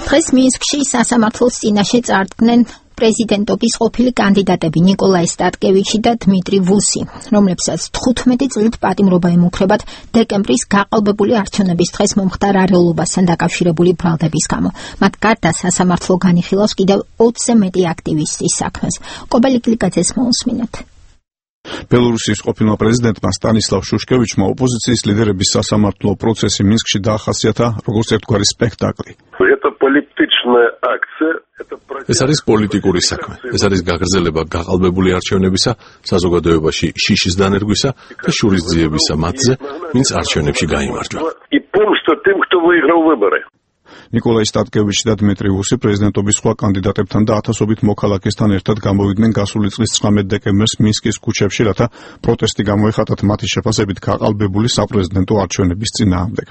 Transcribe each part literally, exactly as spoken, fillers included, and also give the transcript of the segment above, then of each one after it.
დღეს მინსკში სასამართლოს წინაშე წარდგნენ პრეზიდენტობის ყოფილი კანდიდატები ნიკოლაი სტატკევიჩი და დმიტრი ვუსი, რომლებსაც თხუთმეტი წლით პატიმრობა ემუქრებათ დეკემბრის გაყალბებული არჩევნების დღეს მომხდარ არეულობასთან დაკავშირებული ბრალდების გამო. მათ გარდა სასამართლო განიხილავს კიდევ ოცზე მეტი აქტივისტის საქმეს. კობელი კლიკაძეს მოусმინეთ. ბელორუსიის ყოფილმა პრეზიდენტმა სტანისლავ შუშკევიჩმა ოპოზიციის ლიდერების სასამართლო პროცესი მინსკში დაახასიათა როგორც ერთგვარი სპექტაკლი. ეს არის პოლიტიკური საქმე. ეს არის გაგრძელება გაყალბებული არჩევნებისა, საზოგადოებაში შიშის დანერგვისა და შურისძიებისა მათზე, ვინც არჩევნებში გაიმარჯვა. ნიკოლაი სტატკევიჩი და დმიტრი ვუსი პრეზიდენტობის სხვა კანდიდატებთან და ათასობით მოქალაქესთან ერთად გამოვიდნენ გასული წლის ცხრამეტ დეკემბერს მინსკის ქუჩებში, რათა პროტესტი გამოეხატათ მათი შეფასებით გაყალბებული საპრეზიდენტო არჩევნების წინააღმდეგ.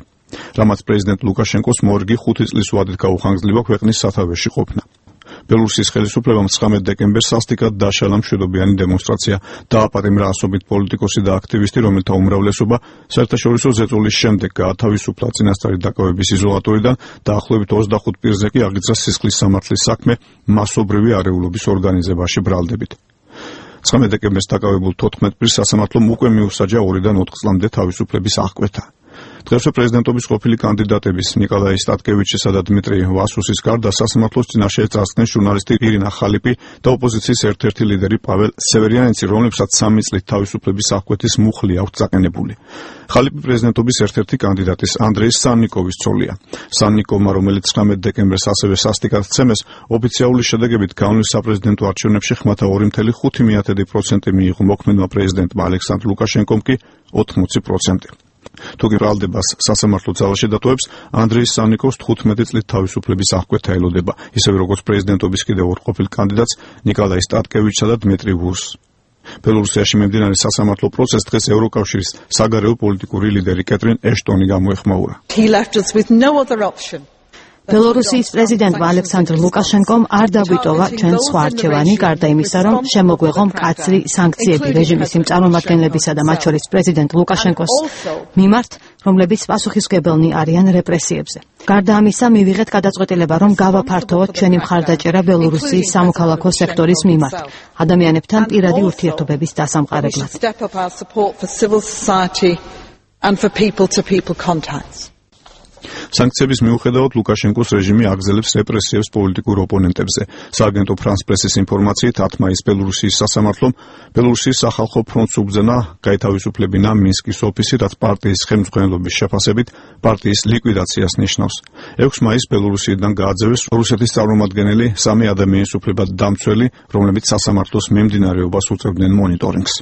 რამაც პრეზიდენტ ლუკაშენკოს მორგი ხუთი წლის ვადით გაუხანგძლება ქვეყნის სათავეში ყოფნა. ბელორუსიის ხელისუფლებამ ცხრამეტ დეკემბერს სასტიკად დაშალა მშვიდობიანი დემონსტრაცია, დააპატიმრა ასობით პოლიტიკოსი და აქტივისტი, რომელთა უმრავლესობა საერთაშორისო ზეწოლის შემდეგ გაათავისუფლა წინასწარი დაკავების იზოლატორიდან, დაახლოებით ოცდახუთ პირზე კი აღიძრა სისხლის სამართლის საქმე მასობრივი არეულობის ორგანიზებაში ბრალდებით. ცხრამეტ დეკემბერს დაკავებულ თოთხმეტ პირს სასამართლომ უკვე მიუსაჯა ორიდან ოთხ წლამდე თავისუფლების აღკვეთა. დღესვე პრეზიდენტობის ყოფილი კანდიდატების ნიკოლაი სტატკევიჩისა და დმიტრი ვასუსის გარდა სასამართლოს წინაშე წარსდგნენ ჟურნალისტი ირინა ხალიპი და ოპოზიციის ერთ-ერთი ლიდერი პაվել სევერიანიცი, რომლებსაც სამი წლით თავისუფლების აღკვეთის მუხლი აქვთ წაყენებული. ხალიპი პრეზიდენტობის ერთ-ერთი კანდიდატის ანდრეი სანნიკოვის ცოლია. სანნიკოვმა, რომელიც ცხრამეტ დეკემბერს ასევე სასტიკად ცემეს, ოფიციალური შედეგებით განვლილ საპრეზიდენტო არჩევნებში ხმათა ორი წუთი ხუთი პროცენტი მიიღო მოქმედმა პრეზიდენტმა ალექსანდრ ლუკაშენკომ კი ოთხმოცი პროცენტი. თუ კი ბრალდებას სასამართლო ძალაში დატოვებს, ანდრეი სანნიკოვს თხუთმეტი წლით თავისუფლების აღკვეთა ელოდება, ისევე როგორც პრეზიდენტობის კიდევ ორ ყოფილ კანდიდატს ნიკოლაი სტატკევიჩსა და დმიტრი ვუსს. ბელორუსიაში მიმდინარე სასამართლო პროცესს დღეს ევროკავშირის საგარეო პოლიტიკური ლიდერი კეტრინ ეშტონი გამოეხმაურა. ბელორუსიის პრეზიდენტმა ალექსანდრ ლუკაშენკომ არ დაგვიტოვა ჩვენ სხვა არჩევანი, გარდა იმისა, რომ შემოგვეღო მკაცრი სანქციები რეჟიმის იმ წარმომადგენლებისა და მათ შორის პრეზიდენტ ლუკაშენკოს მიმართ, რომლებიც პასუხისმგებელნი არიან რეპრესიებზე. გარდა ამისა, მივიღეთ გადაწყვეტილება, რომ გავაფართოვოთ ჩვენი მხარდაჭერა ბელორუსიის სამოქალაქო სექტორის მიმართ, ადამიანებთან პირადი ურთიერთობების დასამყარებლად. სანქციების მიუხედავად ლუკაშენკოს რეჟიმი აგზელებს რეპრესიებს პოლიტიკურ ოპონენტებზე. სააგენტო ფრანს პრესის ინფორმაციით ათ მაისს ბელორუსიის სასამართლომ ბელორუსიის სახალხო ფრონტს უბრძანა გაეთავისუფლებინა მინსკის ოფისი, რაც პარტიის ხელმძღვანელობის შეფასებით პარტიის ლიკვიდაციას ნიშნავს. ექვსი მაისს ბელორუსიიდან გააძევეს რუსეთის წარმომადგენელი სამი ადამიანის უფლებად დამცველი, რომლებიც სასამართლოს მიმდინარეობას უწევდნენ მონიტორინგს.